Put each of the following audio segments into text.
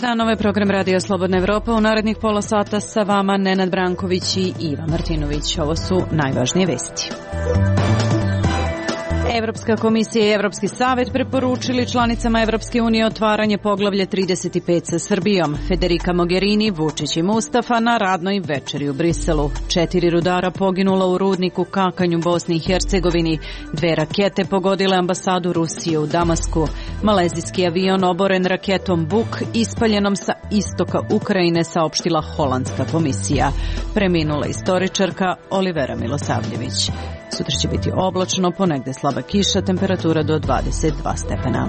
dan, ovo je program Radio Slobodna Evropa. U narednih pola sata sa vama Nenad Branković i Iva Martinović. Ovo su najvažnije vesti. Evropska komisija i Evropski savet preporučili članicama Evropske unije otvaranje poglavlja 35 sa Srbijom. Federica Mogherini, Vučić i Mustafa na radnoj večeri u Briselu. 4 rudara poginula u rudniku Kakanj u Bosni i Hercegovini. 2 rakete pogodile ambasadu Rusije u Damasku. Malezijski avion oboren raketom Buk ispaljenom sa istoka Ukrajine, saopštila holandska komisija. Preminula istoričarka Olivera Milosavljević. Sutra će biti oblačno, ponegde slaba kiša, temperatura do 22 stepena.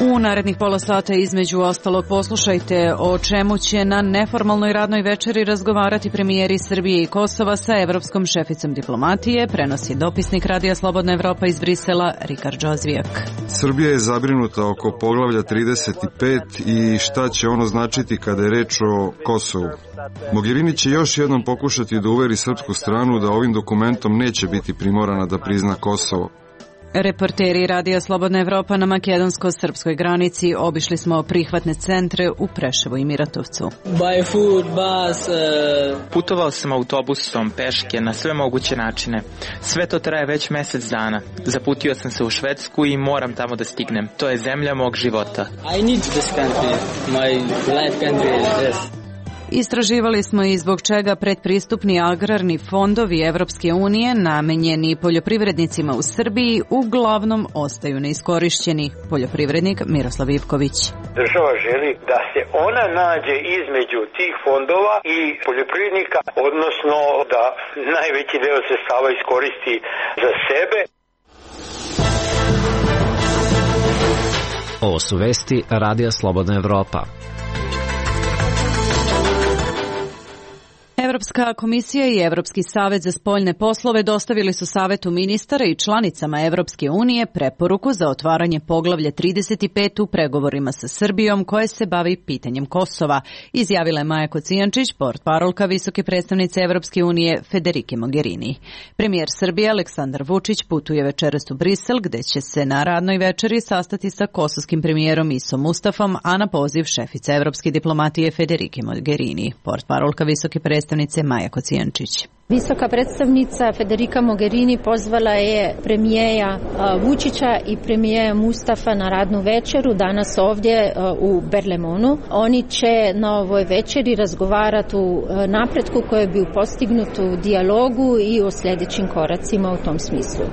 U narednih pola sata između ostalog poslušajte o čemu će na neformalnoj radnoj večeri razgovarati premijeri Srbije i Kosova sa evropskom šeficom diplomatije, prenosi dopisnik Radija Slobodna Evropa iz Brisela Rikard Džozvijak. Srbija je zabrinuta oko poglavlja 35 i šta će ono značiti kada je reč o Kosovu. Mogherini će još jednom pokušati da uveri srpsku stranu da ovim dokumentom neće biti primorana da prizna Kosovo. Reporteri Radija Slobodna Evropa na makedonsko-srpskoj granici obišli smo prihvatne centre u Preševu i Miratovcu. Putovao sam autobusom, peške, na sve moguće načine. Sve to traje već mesec dana. Zaputio sam se u Švedsku i moram tamo da stignem. To je zemlja mog života. Istraživali smo i zbog čega predpristupni agrarni fondovi Evropske unije namenjeni poljoprivrednicima u Srbiji uglavnom ostaju neiskorišćeni. Poljoprivrednik Miroslav Ivković. Država želi da se ona nađe između tih fondova i poljoprivrednika, odnosno da najveći deo sredstava iskoristi za sebe. Ovo su vesti Radija Slobodna Evropa. Evropska komisija i Evropski savet za spoljne poslove dostavili su Savetu ministara i članicama Evropske unije preporuku za otvaranje poglavlja 35 u pregovorima sa Srbijom koje se bavi pitanjem Kosova, izjavila je Maja Kocijančić, portparolka visoke predstavnice Evropske unije Federike Mogherini. Premijer Srbije Aleksandar Vučić putuje večeras u Brisel, gde će se na radnoj večeri sastati sa kosovskim premijerom Isom Mustafom, a na poziv šefice evropske diplomatije Federike Mogherini. Portparolka visoke predstavnice Maja Kocijančić. Visoka predstavnica Federica Mogherini pozvala je premijera Vučića i premijera Mustafa na radnu večeru danas ovdje u Berlemonu. Oni će na ovoj večeri razgovarati o napretku koji je bio postignut u dijalogu i o sljedećim koracima u tom smislu.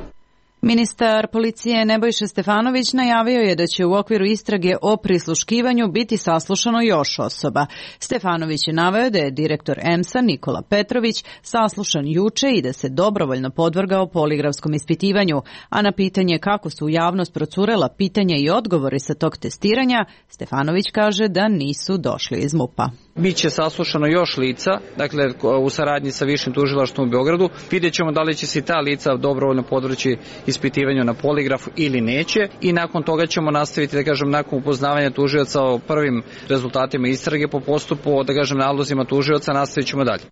Ministar policije Nebojša Stefanović najavio je da će u okviru istrage o prisluškivanju biti saslušano još osoba. Stefanović je naveo da je direktor EMS-a Nikola Petrović saslušan juče i da se dobrovoljno podvrgao poligrafskom ispitivanju, a na pitanje kako su u javnost procurela pitanja i odgovori sa tog testiranja, Stefanović kaže da nisu došli iz MUP-a. Biće saslušano još lica, dakle u saradnji sa Višim tužilaštvom u Beogradu. Vidjet ćemo da li će se ta lica dobrovoljno podvrći ispitivanju na poligrafu ili neće i nakon toga ćemo nastaviti, da kažem, nakon upoznavanja tužioca o prvim rezultatima istrage po postupu, da kažem, nalozima tužioca, nastavit ćemo dalje.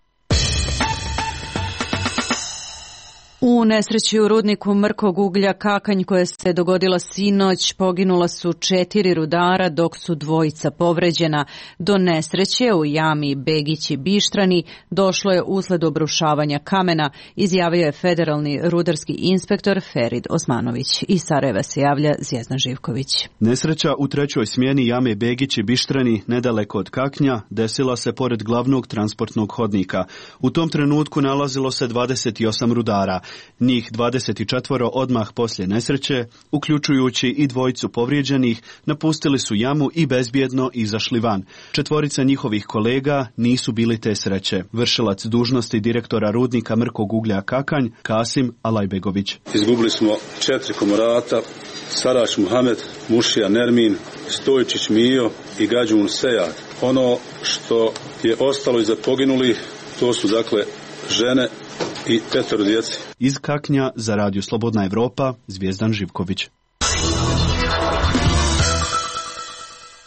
U nesreći u rudniku mrkog uglja Kakanj koja se dogodila sinoć poginula su 4 rudara dok su 2 povređena. Do nesreće u jami Begić i Bištrani došlo je usled obrušavanja kamena, izjavio je federalni rudarski inspektor Ferid Osmanović. Iz Sarajeva se javlja Zvjezdan Živković. Nesreća u 3. smjeni jame Begić i Bištrani nedaleko od Kaknja desila se pored glavnog transportnog hodnika. U tom trenutku nalazilo se 28 rudara. Njih 24 odmah poslije nesreće, uključujući i 2 povrijeđenih, napustili su jamu i bezbjedno izašli van. 4 njihovih kolega nisu bili te sreće. Vršilac dužnosti direktora rudnika mrkog uglja Kakanj, Kasim Alajbegović. Izgubili smo 4 komorata, Sarač Muhamed, Mušija Nermin, Stojčić Mijo i Gađun Sejad. Ono što je ostalo iza poginulih, to su dakle žene i 5 djece. Iz Kaknja za Radio Slobodna Evropa, Zvjezdan Živković.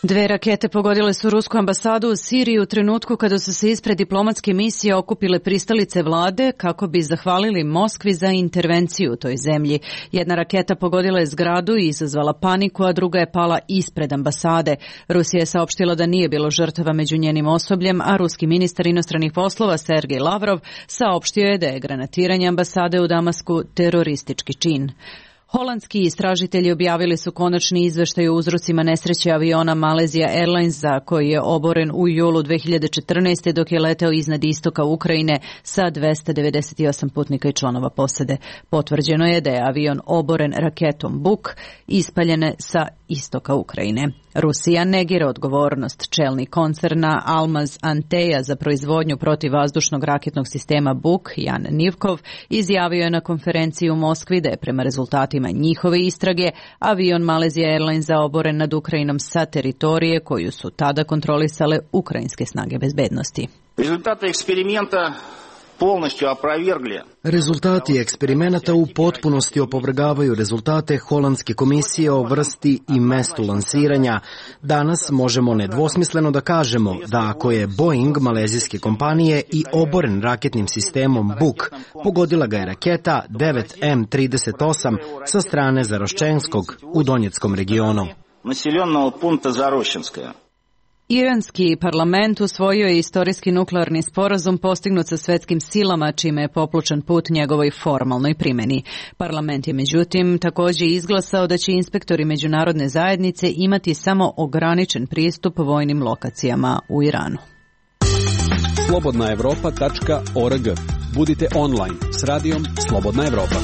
2 rakete pogodile su rusku ambasadu u Siriji u trenutku kada su se ispred diplomatske misije okupile pristalice vlade kako bi zahvalili Moskvi za intervenciju u toj zemlji. Jedna raketa pogodila je zgradu i izazvala paniku, a druga je pala ispred ambasade. Rusija je saopštila da nije bilo žrtava među njenim osobljem, a ruski ministar inostranih poslova Sergej Lavrov saopštio je da je granatiranje ambasade u Damasku teroristički čin. Holandski istražitelji objavili su konačni izveštaj o uzrocima nesreće aviona Malaysia Airlinesa koji je oboren u julu 2014. dok je leteo iznad istoka Ukrajine sa 298 putnika i članova posade. Potvrđeno je da je avion oboren raketom Buk ispaljene sa istoka Ukrajine. Rusija negira odgovornost. Čelni koncerna Almaz Anteja za proizvodnju protivvazdušnog raketnog sistema Buk, Jan Nivkov, izjavio je na konferenciji u Moskvi da je prema rezultatima njihove istrage avion Malaysia Airlinesa oboren nad Ukrajinom sa teritorije koju su tada kontrolisale ukrajinske snage bezbednosti. Rezultate eksperimenta polnošću oprovергli. Rezultati eksperimenata u potpunosti opovrgavaju rezultate Holandske komisije o vrsti i mestu lansiranja. Danas možemo nedvosmisleno da kažemo da ako je Boeing malezijske kompanije i oboren raketnim sistemom Buk, pogodila ga je raketa 9M38 sa strane Zaroščenskog u Donjeckom regionu. Naseljenog punta Zaroščenskoja. Iranski parlament usvojio je istorijski nuklearni sporazum postignut sa svetskim silama, čime je popločan put njegovoj formalnoj primjeni. Parlament je međutim također izglasao da će inspektori međunarodne zajednice imati samo ograničen pristup vojnim lokacijama u Iranu. Slobodnaevropa.org. Budite online s radijom Slobodna Evropa.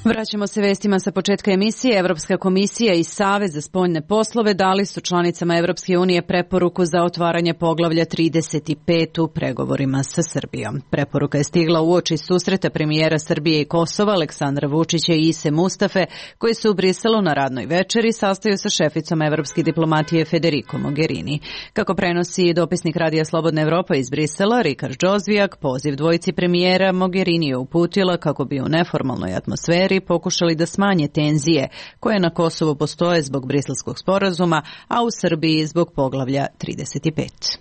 Vraćamo se vestima sa početka emisije. Evropska komisija i Savez za spoljne poslove dali su članicama Evropske unije preporuku za otvaranje poglavlja 35 u pregovorima sa Srbijom. Preporuka je stigla uoči susreta premijera Srbije i Kosova Aleksandra Vučića i Ise Mustafe, koji su u Briselu na radnoj večeri sastaju sa šeficom evropske diplomatije Federico Mogherini. Kako prenosi dopisnik Radija Slobodna Evropa iz Brisela, Rikard Džozvijak, poziv dvojici premijera Mogherini je uputila kako bi u neformalnoj atmosferi pokušali da smanje tenzije koje na Kosovu postoje zbog Briselskog sporazuma, a u Srbiji zbog poglavlja 35.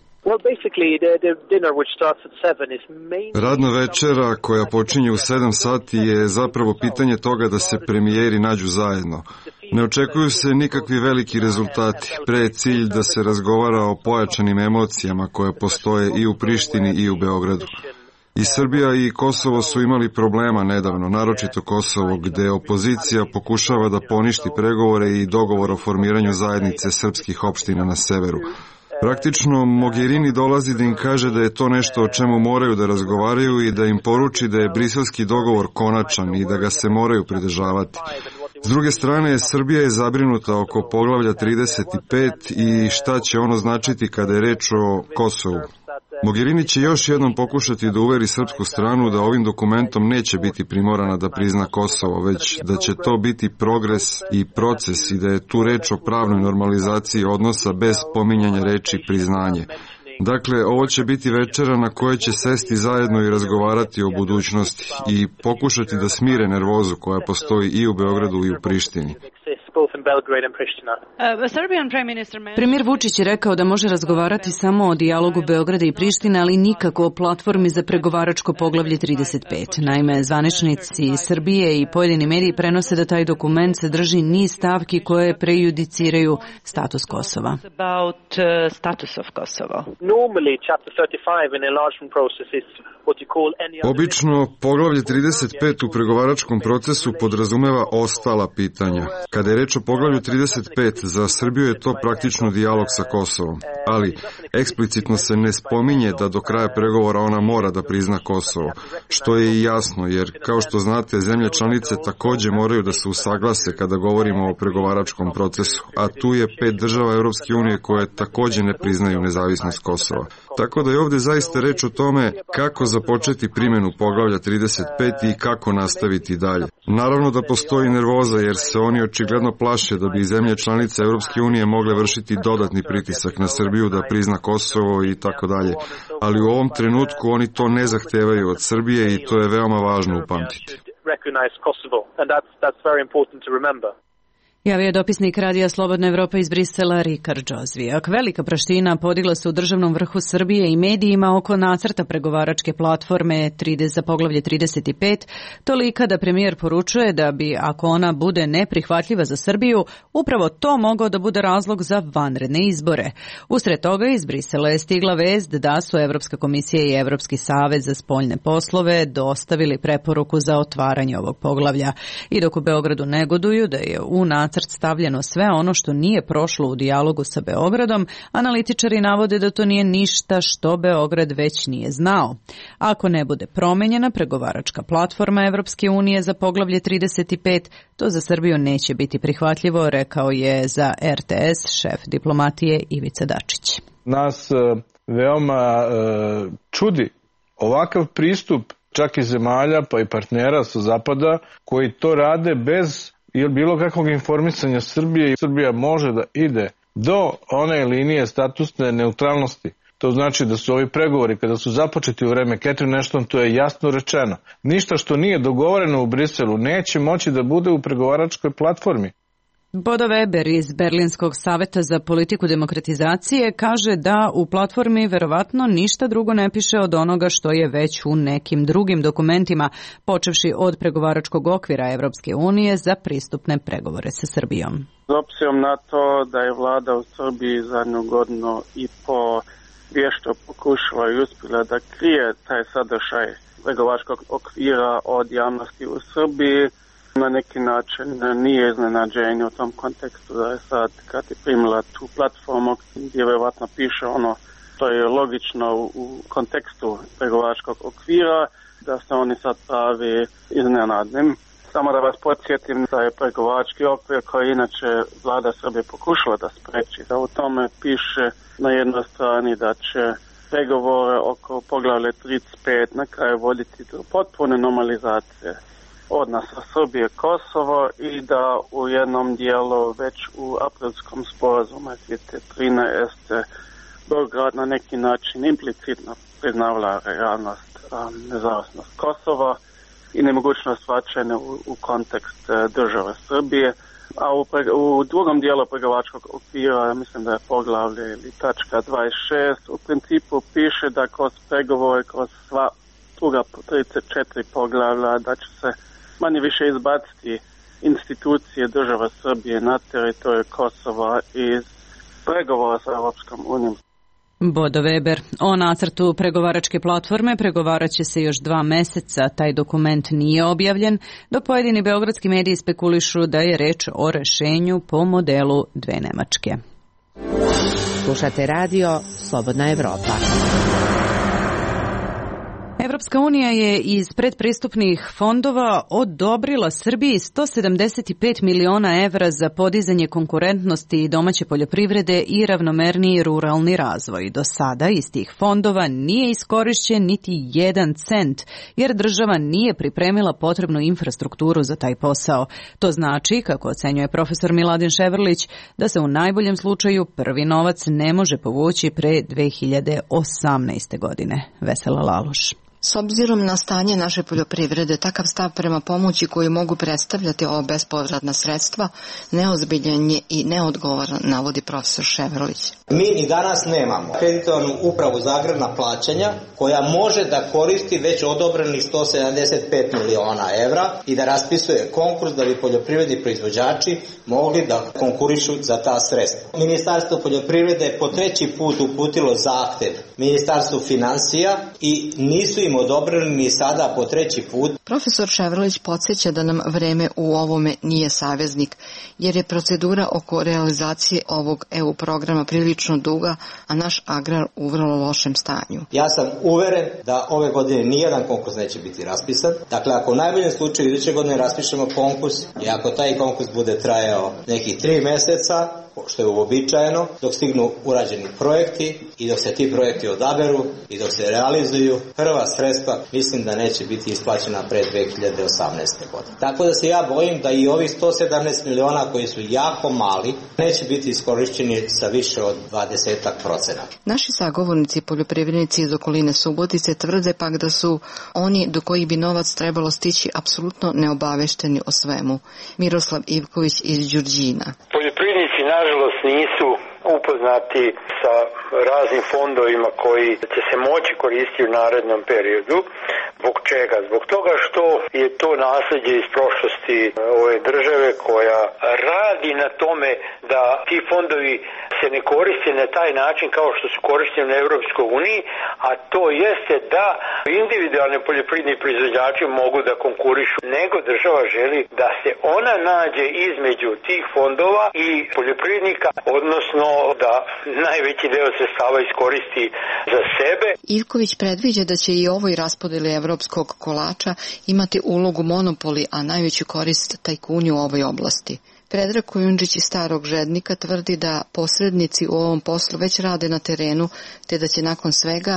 Radna večera koja počinje u 7 sati je zapravo pitanje toga da se premijeri nađu zajedno. Ne očekuju se nikakvi veliki rezultati, pre je cilj da se razgovara o pojačanim emocijama koje postoje i u Prištini i u Beogradu. I Srbija i Kosovo su imali problema nedavno, naročito Kosovo, gde opozicija pokušava da poništi pregovore i dogovor o formiranju zajednice srpskih opština na severu. Praktično, Mogherini dolazi da im kaže da je to nešto o čemu moraju da razgovaraju i da im poruči da je briselski dogovor konačan i da ga se moraju pridržavati. S druge strane, Srbija je zabrinuta oko poglavlja 35 i šta će ono značiti kada je reč o Kosovu. Mogherini će još jednom pokušati da uveri srpsku stranu da ovim dokumentom neće biti primorana da prizna Kosovo, već da će to biti progres i proces i da je tu reč o pravnoj normalizaciji odnosa bez pominjanja reči priznanje. Dakle, ovo će biti večera na kojoj će sesti zajedno i razgovarati o budućnosti i pokušati da smire nervozu koja postoji i u Beogradu i u Prištini. Premijer Vučić je rekao da može razgovarati samo o dijalogu Beograda i Prištine, ali nikako o platformi za pregovaračko poglavlje 35. Naime, zvaničnici Srbije i pojedini mediji prenose da taj dokument sadrži niz stavki koje prejudiciraju status Kosova. Obično, poglavlje 35 u pregovaračkom procesu podrazumeva ostala pitanja. Kada je reč o poglavlju 35, za Srbiju je to praktično dijalog sa Kosovom, ali eksplicitno se ne spominje da do kraja pregovora ona mora da prizna Kosovo, što je i jasno, jer kao što znate, zemlje članice takođe moraju da se usaglase kada govorimo o pregovaračkom procesu, a tu je 5 država Evropske unije koje takođe ne priznaju nezavisnost Kosova. Tako da je ovde zaista reč o tome kako započeti primjenu poglavlja 35 i kako nastaviti dalje. Naravno da postoji nervoza jer se oni očigledno plaše da bi zemlje članice Evropske unije mogle vršiti dodatni pritisak na Srbiju da prizna Kosovo i tako dalje. Ali u ovom trenutku oni to ne zahtevaju od Srbije i to je veoma važno upamtiti. Javio je dopisnik Radija Slobodna Evropa iz Brisela Rikard Džozvijak. Velika praština podigla se u državnom vrhu Srbije i medijima oko nacrta pregovaračke platforme za poglavlje 35, tolika da premijer poručuje da bi, ako ona bude neprihvatljiva za Srbiju, upravo to mogao da bude razlog za vanredne izbore. Usred toga iz Brisela je stigla vest da su Evropska komisija i Evropski savet za spoljne poslove dostavili preporuku za otvaranje ovog poglavlja. I dok u Beogradu negoduju da je u nacrt stavljeno sve ono što nije prošlo u dijalogu sa Beogradom, analitičari navode da to nije ništa što Beograd već nije znao. Ako ne bude promenjena pregovaračka platforma Evropske unije za poglavlje 35, to za Srbiju neće biti prihvatljivo, rekao je za RTS šef diplomatije Ivica Dačić. Nas veoma čudi ovakav pristup čak i zemalja pa i partnera sa zapada koji to rade bez bilo kakvog informisanja Srbije i Srbija može da ide do one linije statusne neutralnosti. To znači da su ovi pregovori kada su započeti u vreme Catherine Ashton, to je jasno rečeno. Ništa što nije dogovoreno u Briselu neće moći da bude u pregovaračkoj platformi. Bodo Weber iz Berlinskog saveta za politiku demokratizacije kaže da u platformi verovatno ništa drugo ne piše od onoga što je već u nekim drugim dokumentima, počevši od pregovaračkog okvira Evropske unije za pristupne pregovore sa Srbijom. S obzirom na to da je vlada u Srbiji zadnju godinu i po vješto pokušala i uspjela da krije taj sadržaj pregovaračkog okvira od javnosti u Srbiji, na neki način nije iznenađenje u tom kontekstu da je sad kad je primila tu platformu gdje vjerovatno piše ono što je logično u kontekstu pregovaračkog okvira, da se oni sad pravi iznenadnim. Samo da vas podsjetim da je pregovarački okvir koji inače vlada Srbije pokušala da spreči, da u tome piše na jednoj strani da će pregovore oko poglavlja 35 na kraju voditi do potpune normalizacije odnosa Srbije Kosovo i da u jednom dijelu već u aprilskom sporazumu 2013 Beograd na neki način implicitno priznavala realnost nezavisnost Kosova i nemogućnost vraćanja u kontekst države Srbije. A u drugom dijelu pregovaračkog okvira, mislim da je poglavlje ili tačka 26, u principu piše da kroz pregovore, kroz sva druga 34 poglavlja, da će se manje više izbaciti institucije države Srbije na teritoriju Kosova iz pregovora sa Europskom unijom. Bodo Weber. O nacrtu pregovaračke platforme pregovarat će se još 2 meseca. Taj dokument nije objavljen, dok pojedini beogradski mediji spekulišu da je reč o rešenju po modelu 2 Nemačke. Slušate radio Slobodna Evropa. Evropska unija je iz predpristupnih fondova odobrila Srbiji 175 miliona evra za podizanje konkurentnosti domaće poljoprivrede i ravnomerniji ruralni razvoj. Do sada iz tih fondova nije iskorišćen niti 1 cent, jer država nije pripremila potrebnu infrastrukturu za taj posao. To znači, kako ocenjuje profesor Miladin Ševrlić, da se u najboljem slučaju prvi novac ne može povući pre 2018. godine. Vesela Laloš. S obzirom na stanje naše poljoprivrede, takav stav prema pomoći koju mogu predstavljati ova bespovratna sredstva neozbiljan je i neodgovoran, navodi profesor Ševrlić. Mi i danas nemamo kreditovanu upravu za agrarna plaćanja koja može da koristi već odobrenih 175 miliona evra i da raspisuje konkurs da bi poljoprivredni proizvođači mogli da konkurišu za ta sredstva. Ministarstvo poljoprivrede je po 3. put uputilo zahtev Ministarstvu finansija i nisu im odobrili ni sada po 3. put. Profesor Ševrlić podsjeća da nam vreme u ovome nije saveznik, jer je procedura oko realizacije ovog EU programa prilično duga, a naš agrar u vrlo lošem stanju. Ja sam uveren da ove godine nijedan konkurs neće biti raspisan. Dakle, ako u najboljem slučaju iduće godine raspišemo konkurs i ako taj konkurs bude trajao nekih 3 meseca, što je uobičajeno, dok stignu urađeni projekti i dok se ti projekti odaberu i dok se realizuju, prva sredstva mislim da neće biti isplaćena pre 2018. godine. Tako da se ja bojim da i ovih 117 miliona koji su jako mali neće biti iskorišćeni sa više od 20%. Naši sagovornici poljoprivrednici iz okoline Subotice tvrde pak da su oni do kojih bi novac trebalo stići apsolutno neobavešteni o svemu. Miroslav Ivković iz Đurđina. Poljoprivrednici nažalost nisu upoznati sa raznim fondovima koji će se moći koristiti u narednom periodu. Zbog čega? Zbog toga što je to nasljeđe iz prošlosti ove države koja radi na tome da ti fondovi se ne koriste na taj način kao što su korišteni na Europskoj uniji, a to jeste da individualni poljoprivredni proizvođači mogu da konkurišu, nego država želi da se ona nađe između tih fondova i poljoprivrednika, odnosno da najveći deo sredstava iskoristi za sebe. Ivković predviđa da će i ovoj raspodeli evropskog kolača imati ulogu monopoli, a najveću korist tajkuni u ovoj oblasti. Predrag Kujundžić iz Starog Žednika tvrdi da posrednici u ovom poslu već rade na terenu, te da će nakon svega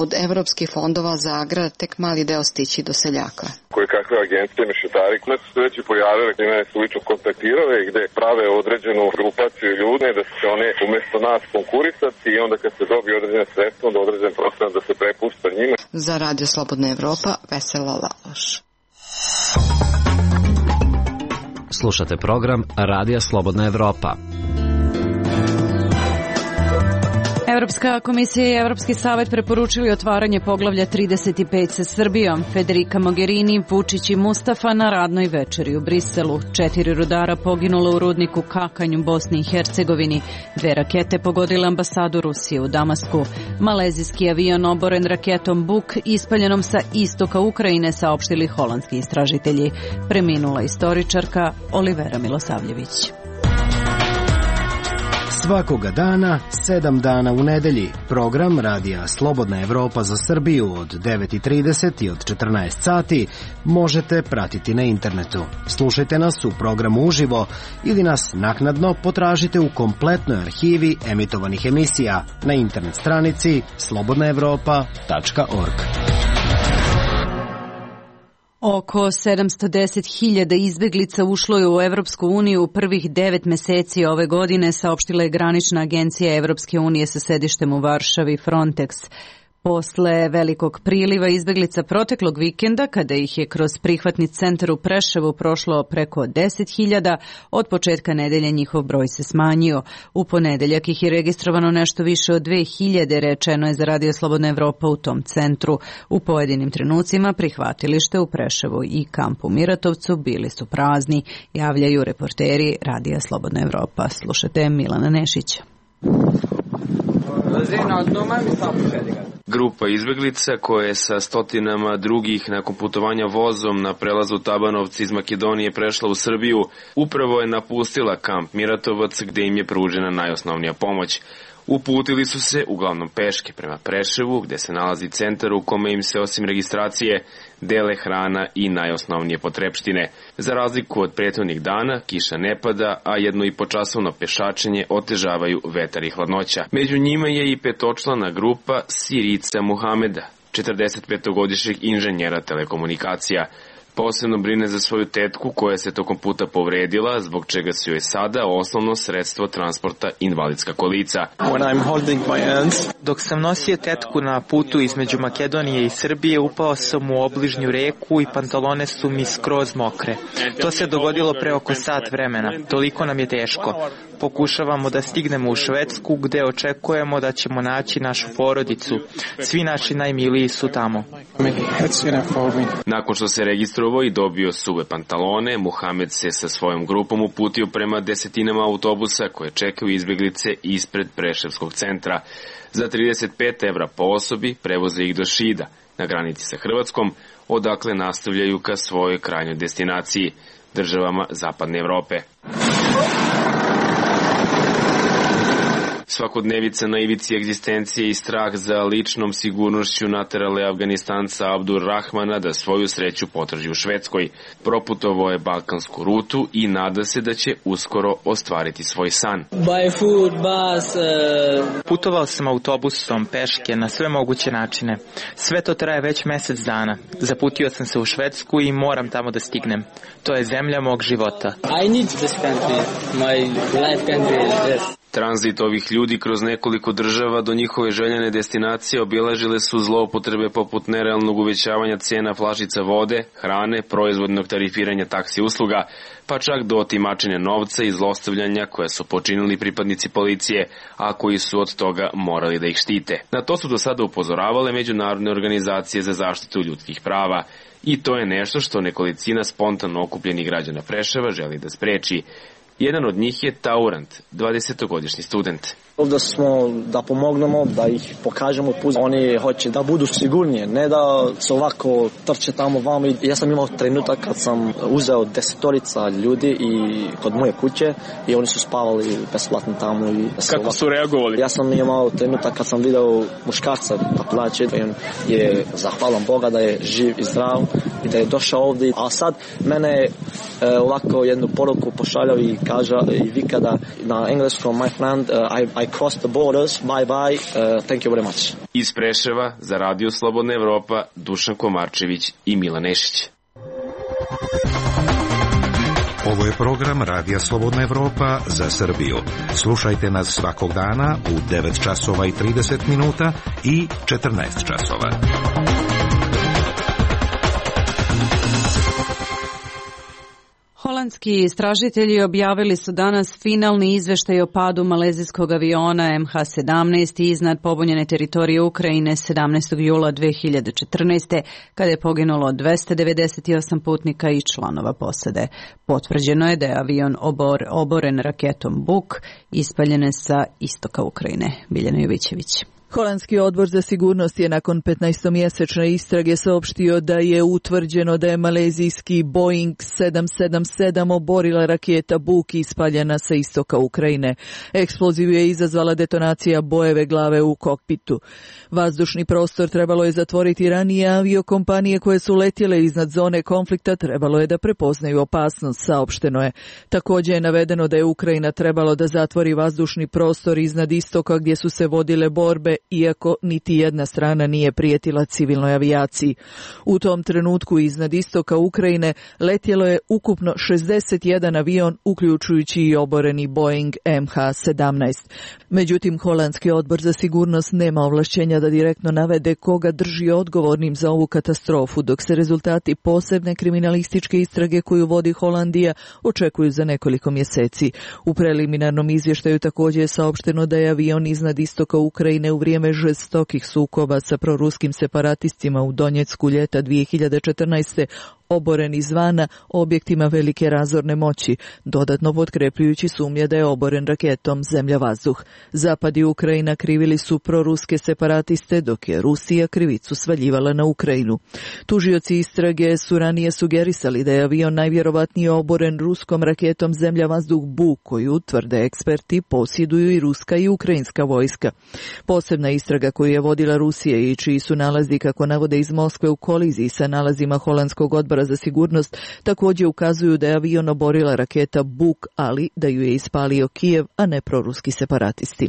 od evropskih fondova za agrar tek mali deo stići do seljaka. Koje kakve agencije, mešetari, koje su se već i pojavile, gde me su lično kontaktirale, gde prave određenu grupaciju ljude, da se one umesto nas konkurisati i onda kad se dobije određene sredstva, onda određen procenat da se prepušta njima. Za Radio Slobodna Evropa, Vesela Laloš. Slušate program Radija Slobodna Evropa. Evropska komisija i Evropski savet preporučili otvaranje poglavlja 35 sa Srbijom. Federica Mogherini, Vučić i Mustafa na radnoj večeri u Briselu. 4 rudara poginulo u rudniku Kakanj u Bosni i Hercegovini. 2 rakete pogodile ambasadu Rusije u Damasku. Malezijski avion oboren raketom Buk ispaljenom sa istoka Ukrajine, saopštili holandski istražitelji. Preminula istoričarka Olivera Milosavljević. Svakoga dana, 7 dana u nedelji, program Radija Slobodna Evropa za Srbiju od 9:30 i od 14 sati možete pratiti na internetu. Slušajte nas u programu uživo ili nas naknadno potražite u kompletnoj arhivi emitovanih emisija na internet stranici slobodnaevropa.org. Oko 710.000 izbeglica ušlo je u Evropsku uniju u prvih 9 meseci ove godine, saopštila je granična agencija Evropske unije sa sedištem u Varšavi Frontex. Posle velikog priliva izbeglica proteklog vikenda, kada ih je kroz prihvatni centar u Preševu prošlo preko 10.000, od početka nedelje njihov broj se smanjio. U ponedeljak ih je registrovano nešto više od 2.000, rečeno je za Radio Slobodna Evropa u tom centru. U pojedinim trenucima prihvatilište u Preševu i kampu Miratovcu bili su prazni, javljaju reporteri Radija Slobodna Evropa. Slušate Milana Nešića. Grupa izbeglica koja je sa stotinama drugih nakon putovanja vozom na prelazu Tabanovci iz Makedonije prešla u Srbiju, upravo je napustila kamp Miratovac gde im je pružena najosnovnija pomoć. Uputili su se uglavnom peške prema Preševu, gde se nalazi centar u kome im se osim registracije dele hrana i najosnovnije potrepštine. Za razliku od prethodnih dana, kiša ne pada, a 1,5-časovno pešačenje otežavaju vetar i hladnoća. Među njima je i 5-člana grupa Sirica Muhameda, 45-godišnjeg inženjera telekomunikacija. Posebno brine za svoju tetku koja se tokom puta povredila, zbog čega se joj sada osnovno sredstvo transporta invalidska kolica. Dok sam nosio tetku na putu između Makedonije i Srbije, upao sam u obližnju reku i pantalone su mi skroz mokre. To se dogodilo pre oko sat vremena. Toliko nam je teško. Pokušavamo da stignemo u Švedsku, gde očekujemo da ćemo naći našu porodicu. Svi naši najmiliji su tamo. Nakon što se registrovao i dobio suve pantalone, Muhamed se sa svojom grupom uputio prema desetinama autobusa koje čekaju izbeglice ispred Preševskog centra. Za 35 evra po osobi prevoze ih do Šida, na granici sa Hrvatskom, odakle nastavljaju ka svojoj krajnjoj destinaciji, državama Zapadne Evrope. svakodnevica na ivici egzistencije i strah za ličnom sigurnošću naterale Afganistanca Abdur Rahmana da svoju sreću potraži u Švedskoj. Proputovao je balkansku rutu i nada se da će uskoro ostvariti svoj san. Putovao sam autobusom, peške, na sve moguće načine. Sve to traje već mesec dana. Zaputio sam se u Švedsku i moram tamo da stignem. To je zemlja mog života. I need this country. My life country is this. Tranzit ovih ljudi kroz nekoliko država do njihove željene destinacije obilažile su zloupotrebe poput nerealnog uvećavanja cena flašica vode, hrane, proizvodnog tarifiranja taksi usluga, pa čak do otimačenja novca i zlostavljanja koje su počinili pripadnici policije, a koji su od toga morali da ih štite. Na to su do sada upozoravale međunarodne organizacije za zaštitu ljudskih prava. I to je nešto što nekolicina spontano okupljenih građana Preševa želi da spreči. Jedan od njih je Taurant, 20-godišnji student. Ovdje smo da pomognemo, da ih pokažemo put. Oni hoće da budu sigurnije, ne da se ovako trče tamo vamo. Ja sam imao trenutak kad sam uzeo 10 ljudi i kod moje kuće i oni su spavali besplatno tamo. Kako su reagovali? Ja sam imao trenutak kad sam video muškarca da plaće i on je zahvalan Boga da je živ i zdrav i da je došao ovdje. A sad mene ovako jednu poruku pošaljao i kaže i vika da na engleskom my friend I crossed the borders, bye bye, thank you very much. Iz Preševa za Radio Slobodna Evropa Dušan Komarčević i Milan Nešić. Ovo je program Radija Slobodna Evropa za Srbiju. Slušajte nas svakog dana u 9 časova i 30 minuta i 14 časova. Holandski istražitelji objavili su danas finalni izveštaj o padu malezijskog aviona MH17 iznad pobunjene teritorije Ukrajine 17. jula 2014. kada je poginulo 298 putnika i članova posade. Potvrđeno je da je avion oboren raketom Buk ispaljene sa istoka Ukrajine. Biljana Jovićević. Holandski odbor za sigurnost je nakon 15-mjesečne istrage saopštio da je utvrđeno da je malezijski Boeing 777 oborila raketa Buk ispaljena sa istoka Ukrajine. Eksploziv je izazvala detonacija Boeve glave u kokpitu. Vazdušni prostor trebalo je zatvoriti ranije, aviokompanije koje su letjele iznad zone konflikta trebalo je da prepoznaju opasnost, saopšteno je. Također je navedeno da je Ukrajina trebalo da zatvori vazdušni prostor iznad istoka gdje su se vodile borbe, iako niti jedna strana nije prijetila civilnoj avijaciji. U tom trenutku iznad istoka Ukrajine letjelo je ukupno 61 avion, uključujući i oboreni Boeing MH17. Međutim, Holandski odbor za sigurnost nema ovlašćenja da direktno navede koga drži odgovornim za ovu katastrofu, dok se rezultati posebne kriminalističke istrage koju vodi Holandija očekuju za nekoliko mjeseci. U preliminarnom izvještaju također je saopšteno da je avion iznad istoka Ukrajine u vrijeme žestokih sukoba sa proruskim separatistima u Donjecku ljeta 2014. oboren izvana objektima velike razorne moći, dodatno potkrepljujući sumnje da je oboren raketom zemlja-vazduh. Zapad i Ukrajina krivili su proruske separatiste, dok je Rusija krivicu svaljivala na Ukrajinu. Tužioci istrage su ranije sugerisali da je avion najvjerovatnije oboren ruskom raketom zemlja-vazduh Buk, koju, tvrde eksperti, posjeduju i ruska i ukrajinska vojska. Posebna istraga koju je vodila Rusija i čiji su nalazi, kako navode iz Moskve, u koliziji sa nalazima Holandskog odbora za sigurnost, također ukazuju da je avion oborila raketa Buk, ali da ju je ispalio Kijev, a ne proruski separatisti.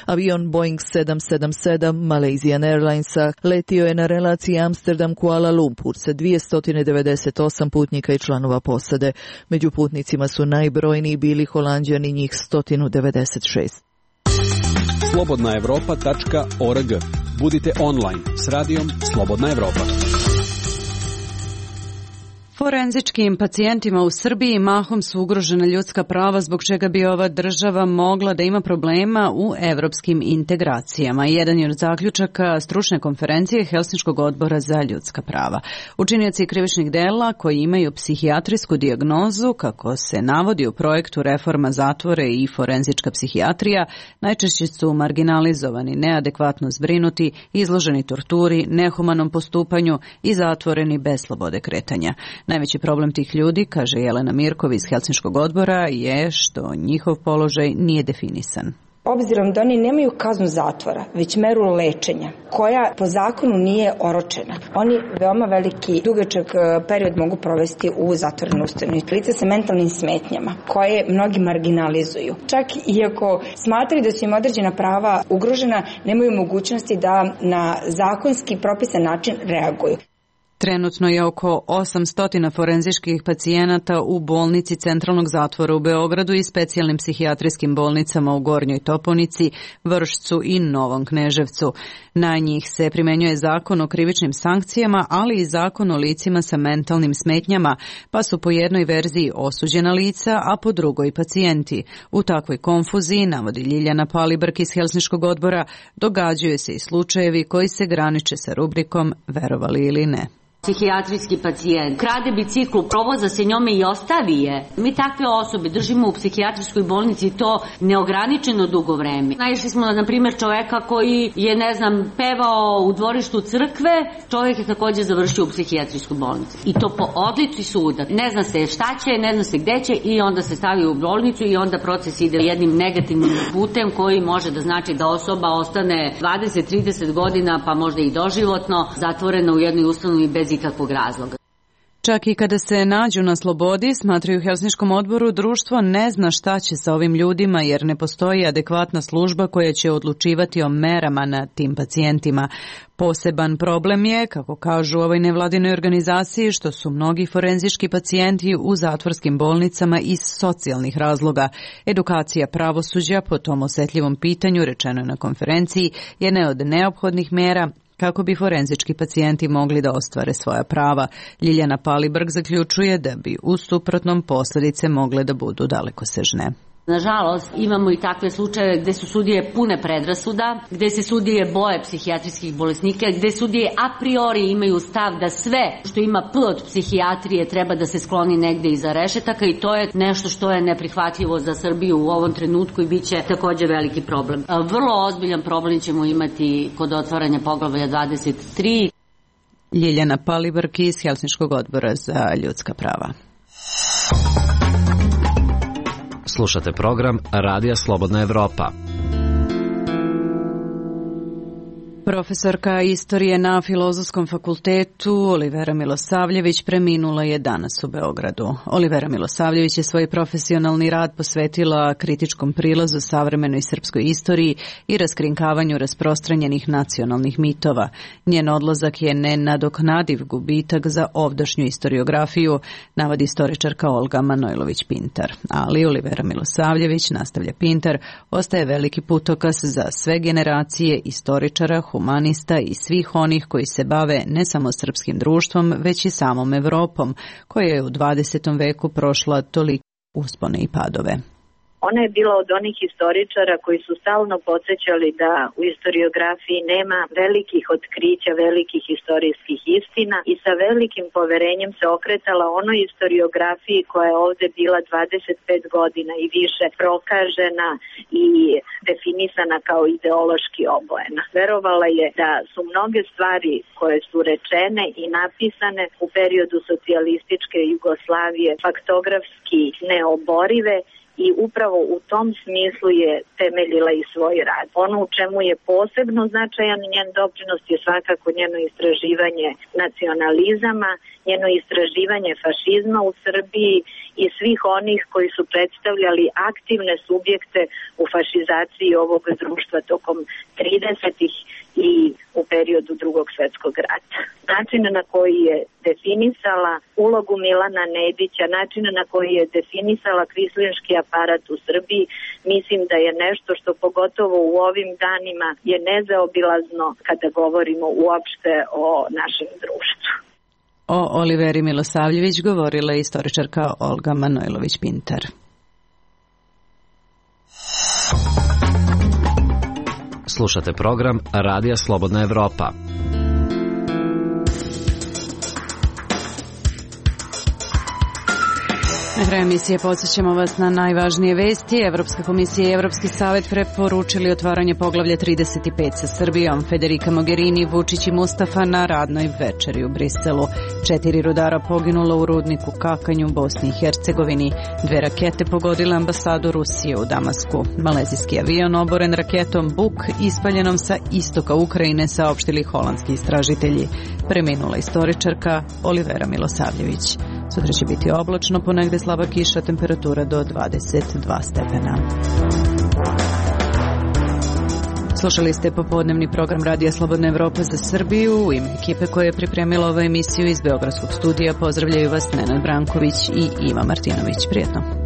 Avion Boeing 777 Malaysian Airlinesa letio je na relaciji Amsterdam-Kuala Lumpur sa 298 putnika i članova posade. Među putnicima su najbrojniji bili Holanđani, njih 196. slobodnaevropa.org. Budite online s radijom Slobodna Evropa. Forenzičkim pacijentima u Srbiji mahom su ugrožena ljudska prava, zbog čega bi ova država mogla da ima problema u evropskim integracijama. Jedan je od zaključaka stručne konferencije Helsinškog odbora za ljudska prava. Učinioci krivičnih dela koji imaju psihijatrijsku dijagnozu, kako se navodi u projektu Reforma zatvore i forenzička psihijatrija, najčešće su marginalizovani, neadekvatno zbrinuti, izloženi torturi, nehumanom postupanju i zatvoreni bez slobode kretanja. Najveći problem tih ljudi, kaže Jelena Mirkov iz Helsinškog odbora, je što njihov položaj nije definisan. Obzirom da oni nemaju kaznu zatvora, već meru lečenja, koja po zakonu nije oročena. Oni veoma veliki, dugačak period mogu provesti u zatvorenoj ustanovi. Lica sa mentalnim smetnjama, koje mnogi marginalizuju. Čak i ako smatraju da su im određena prava ugrožena, nemaju mogućnosti da na zakonski propisan način reaguju. Trenutno je oko 800 forenzičkih pacijenata u bolnici Centralnog zatvora u Beogradu i specijalnim psihijatrijskim bolnicama u Gornjoj Toponici, Vršcu i Novom Kneževcu. Na njih se primenjuje zakon o krivičnim sankcijama, ali i zakon o licima sa mentalnim smetnjama, pa su po jednoj verziji osuđena lica, a po drugoj pacijenti. U takvoj konfuziji, navodi Ljiljana Palibrk iz Helsinškog odbora, događaju se i slučajevi koji se graniče sa rubrikom verovali ili ne. Psihijatrijski pacijent krade biciklu, provoza se njome i ostavi je. Mi takve osobe držimo u psihijatrijskoj bolnici to neograničeno dugo vreme. Naišli smo na primjer čoveka koji je, pevao u dvorištu crkve, čovjek je također završio u psihijatrijskoj bolnici. I to po odluci suda. Ne zna se šta će, ne zna se gde će i onda se stavi u bolnicu i onda proces ide jednim negativnim putem koji može da znači da osoba ostane 20-30 godina, pa možda i doživotno, zatvorena u jednoj ustanovi bez ikakvog razloga. Čak i kada se nađu na slobodi, smatraju u Helsinškom odboru, društvo ne zna šta će sa ovim ljudima jer ne postoji adekvatna služba koja će odlučivati o merama na tim pacijentima. Poseban problem je, kako kažu u ovoj nevladinoj organizaciji, što su mnogi forenzički pacijenti u zatvorskim bolnicama iz socijalnih razloga. Edukacija pravosuđa po tom osetljivom pitanju, rečeno je na konferenciji, jedna od neophodnih mera kako bi forenzički pacijenti mogli da ostvare svoja prava. Ljiljana Palibrk zaključuje da bi u suprotnom posljedice mogle da budu dalekosežne. Nažalost, imamo i takve slučajeve gde su sudije pune predrasuda, gde se sudije boje psihijatrijskih bolesnika, gde sudije a priori imaju stav da sve što ima P od psihijatrije treba da se skloni negde iza rešetaka i to je nešto što je neprihvatljivo za Srbiju u ovom trenutku i bit će također veliki problem. Vrlo ozbiljan problem ćemo imati kod otvaranja poglavlja 23. Ljiljana Palibrk iz Helsinškog odbora za ljudska prava. Slušate program Radija Slobodna Evropa. Profesorka istorije na Filozofskom fakultetu Olivera Milosavljević preminula je danas u Beogradu. Olivera Milosavljević je svoj profesionalni rad posvetila kritičkom prilazu savremenoj srpskoj istoriji i raskrinkavanju rasprostranjenih nacionalnih mitova. Njen odlazak je nenadoknadiv gubitak za ovdašnju istoriografiju, navodi istoričarka Olga Manojlović-Pintar. Ali Olivera Milosavljević, nastavlja Pintar, ostaje veliki putokaz za sve generacije istoričara, humanista i svih onih koji se bave ne samo srpskim društvom, već i samom Evropom, koja je u 20. veku prošla toliko uspone i padove. Ona je bila od onih istoričara koji su stalno podsjećali da u istoriografiji nema velikih otkrića, velikih istorijskih istina i sa velikim poverenjem se okretala onoj istoriografiji koja je ovde bila 25 godina i više prokažena i definisana kao ideološki obojena. Verovala je da su mnoge stvari koje su rečene i napisane u periodu socijalističke Jugoslavije faktografski neoborive i upravo u tom smislu je temeljila i svoj rad. Ono u čemu je posebno značajan njen doprinos je svakako njeno istraživanje nacionalizama, njeno istraživanje fašizma u Srbiji i svih onih koji su predstavljali aktivne subjekte u fašizaciji ovog društva tokom 30-ih i u periodu Drugog svjetskog rata. Način na koji je definisala ulogu Milana Nedića, način na koji je definisala kvislinški aparat u Srbiji, mislim da je nešto što pogotovo u ovim danima je nezaobilazno kada govorimo uopšte o našem društvu. O Oliveri Milosavljević govorila je istoričarka Olga Manojlović-Pintar. Slušate program Radija Slobodna Evropa. Na kraju emisije podsjećamo vas na najvažnije vesti. Evropska komisija i Evropski savet preporučili otvaranje poglavlja 35 sa Srbijom. Federica Mogherini, Vučić i Mustafa na radnoj večeri u Briselu. 4 rudara poginulo u rudniku Kakanj u Bosni i Hercegovini. 2 rakete pogodile ambasadu Rusije u Damasku. Malezijski avion oboren raketom Buk ispaljenom sa istoka Ukrajine, saopštili holandski istražitelji. Preminula istoričarka Olivera Milosavljević. Sutra će biti oblačno, ponegde slaba kiša, temperatura do 22 stepena. Slušali ste popodnevni program Radija Slobodna Evropa za Srbiju. U ime ekipe koja je pripremila ovu emisiju iz Beogradskog studija pozdravljaju vas Nenad Branković i Iva Martinović. Prijetno.